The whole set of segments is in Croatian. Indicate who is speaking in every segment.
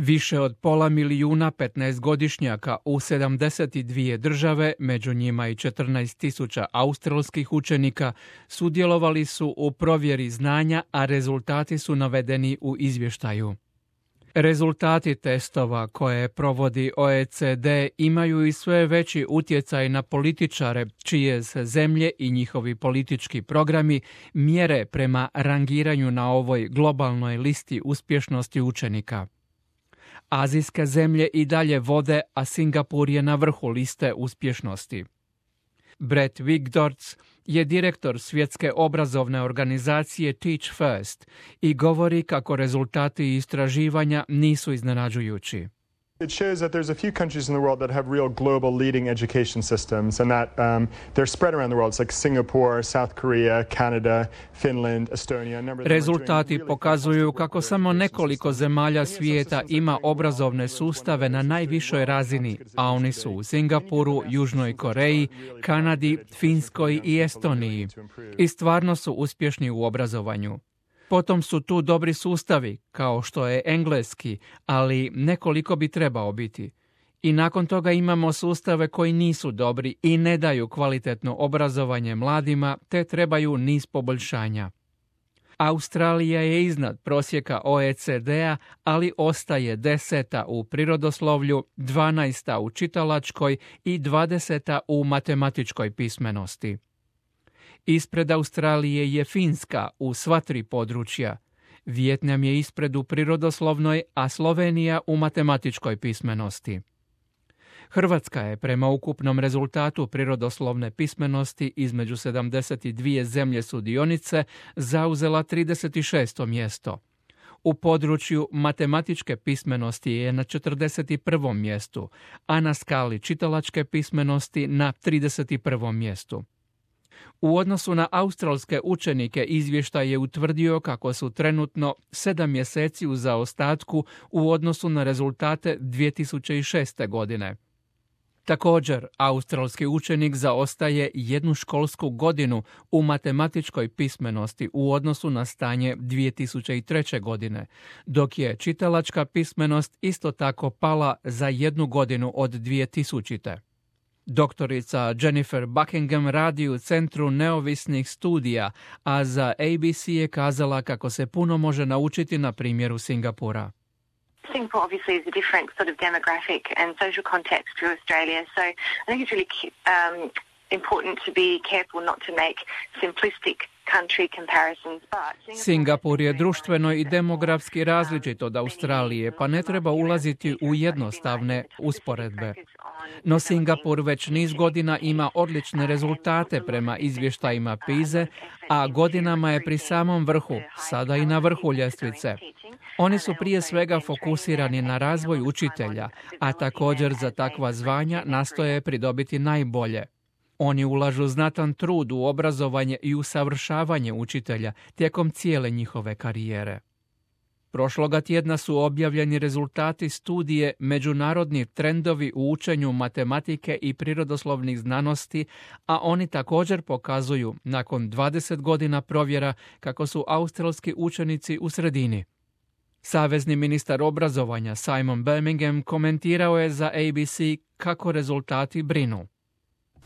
Speaker 1: Više od 500.000 15-godišnjaka u 72 države, među njima i 14.000 australskih učenika, sudjelovali su u provjeri znanja, a rezultati su navedeni u izvještaju. Rezultati testova koje provodi OECD imaju i sve veći utjecaj na političare, čije se zemlje i njihovi politički programi mjere prema rangiranju na ovoj globalnoj listi uspješnosti učenika. Azijske zemlje i dalje vode, a Singapur je na vrhu liste uspješnosti. Brett Wigdorts je direktor svjetske obrazovne organizacije Teach First i govori kako rezultati istraživanja nisu iznenađujući.
Speaker 2: It shows that there's a few countries in the world that have real global leading education systems and that they're spread around the world. It's like Singapore, South Korea, Canada, Finland, Estonia.
Speaker 1: Rezultati pokazuju kako samo nekoliko zemalja svijeta ima obrazovne sustave na najvišoj razini, a oni su u Singapuru, Južnoj Koreji, Kanadi, Finskoj i Estoniji. I stvarno su uspješni u obrazovanju. Potom su tu dobri sustavi, kao što je engleski, ali nekoliko bi trebao biti. I nakon toga imamo sustave koji nisu dobri i ne daju kvalitetno obrazovanje mladima, te trebaju niz poboljšanja. Australija je iznad prosjeka OECD-a, ali ostaje 10. u prirodoslovlju, 12. u čitalačkoj i 20. u matematičkoj pismenosti. Ispred Australije je Finska u sva tri područja. Vijetnam je ispred u prirodoslovnoj, a Slovenija u matematičkoj pismenosti. Hrvatska je prema ukupnom rezultatu prirodoslovne pismenosti između 72 zemlje sudionice zauzela 36. mjesto. U području matematičke pismenosti je na 41. mjestu, a na skali čitalačke pismenosti na 31. mjestu. U odnosu na australske učenike izvještaj je utvrdio kako su trenutno 7 mjeseci u zaostatku u odnosu na rezultate 2006. godine. Također, australski učenik zaostaje jednu školsku godinu u matematičkoj pismenosti u odnosu na stanje 2003. godine, dok je čitalačka pismenost isto tako pala za jednu godinu od 2000. Doktorica Jennifer Buckingham radi u Centru neovisnih studija, a za ABC je kazala kako se puno može naučiti na primjeru Singapura.
Speaker 3: Singapore obviously is a different sort of demographic and social context to Australia, so I think it's really important to be careful not to make simplistic country comparisons.
Speaker 1: Singapur je društveno i demografski različit od Australije, pa ne treba ulaziti u jednostavne usporedbe. No Singapur već niz godina ima odlične rezultate prema izvještajima PISA, a godinama je pri samom vrhu, sada i na vrhu ljestvice. Oni su prije svega fokusirani na razvoj učitelja, a također za takva zvanja nastoje pridobiti najbolje. Oni ulažu znatan trud u obrazovanje i usavršavanje učitelja tijekom cijele njihove karijere. Prošloga tjedna su objavljeni rezultati studije Međunarodni trendovi u učenju matematike i prirodoslovnih znanosti, a oni također pokazuju, nakon 20 godina provjera, kako su australski učenici u sredini. Savezni ministar obrazovanja Simon Birmingham komentirao je za ABC kako rezultati brinu.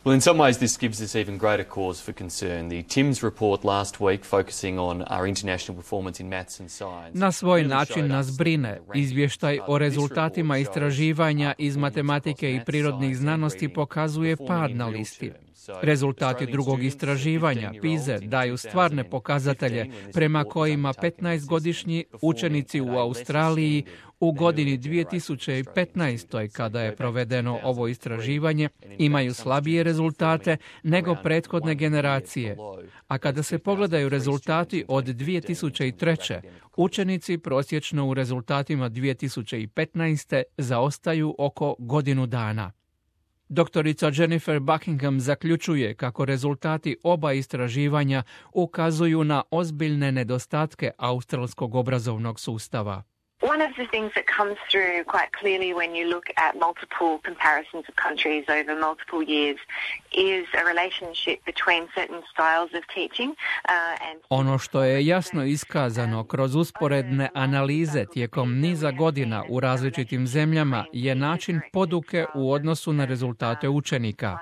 Speaker 4: Well, in some ways this gives us even greater cause for concern. The TIMSS report last week focusing on our international performance in maths and science.
Speaker 1: Na svoj način nas brine. Izvještaj o rezultatima istraživanja iz matematike i prirodnih znanosti pokazuje pad na listi. Rezultati drugog istraživanja, PISA, daju stvarne pokazatelje prema kojima 15-godišnji učenici u Australiji u godini 2015. kada je provedeno ovo istraživanje imaju slabije rezultate nego prethodne generacije. A kada se pogledaju rezultati od 2003. učenici prosječno u rezultatima 2015. zaostaju oko godinu dana. Doktorica Jennifer Buckingham zaključuje kako rezultati oba istraživanja ukazuju na ozbiljne nedostatke australskog obrazovnog sustava.
Speaker 3: One of the things that comes through quite clearly when you look at multiple comparisons of countries over multiple years is a relationship between certain styles of teaching and...
Speaker 1: Ono što je jasno iskazano kroz usporedne analize tijekom niza godina u različitim zemljama je način poduke u odnosu na rezultate učenika.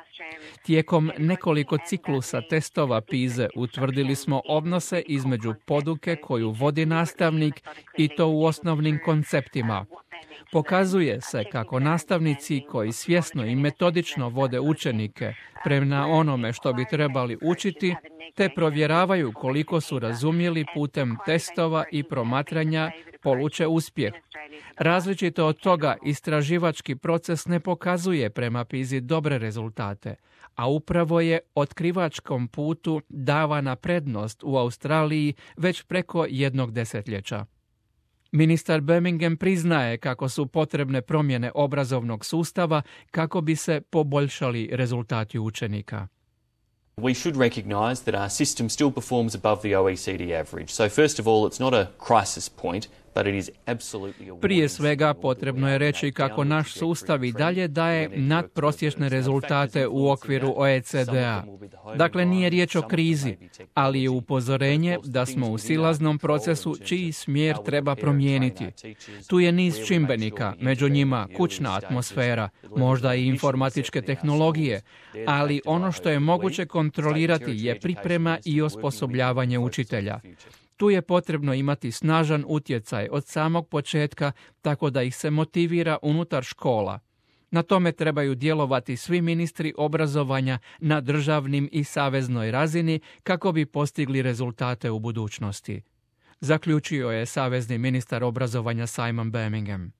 Speaker 1: Tijekom nekoliko ciklusa testova PISA utvrdili smo odnose između poduke koju vodi nastavnik i to u osnovnim konceptima. Pokazuje se kako nastavnici koji svjesno i metodično vode učenike prema onome što bi trebali učiti, te provjeravaju koliko su razumjeli putem testova i promatranja, poluče uspjeh. Različito od toga istraživački proces ne pokazuje prema PISA dobre rezultate, a upravo je otkrivačkom putu davana prednost u Australiji već preko jednog desetljeća. Ministar Birmingham priznaje kako su potrebne promjene obrazovnog sustava kako bi se poboljšali rezultati učenika.
Speaker 4: We should recognise that our system still performs above the OECD average. So first of all, it's not a crisis point, but it is absolutely a...
Speaker 1: Prije svega potrebno je reći kako naš sustav i dalje daje nadprosječne rezultate u okviru OECD-a. Dakle, nije riječ o krizi, ali je upozorenje da smo u silaznom procesu čiji smjer treba promijeniti. Tu je niz čimbenika, među njima kućna atmosfera, možda i informatičke tehnologije, ali ono što je moguće kontrolirati je priprema i osposobljavanje učitelja. Tu je potrebno imati snažan utjecaj od samog početka, tako da ih se motivira unutar škola. Na tome trebaju djelovati svi ministri obrazovanja na državnim i saveznoj razini kako bi postigli rezultate u budućnosti. Zaključio je savezni ministar obrazovanja Simon Birmingham.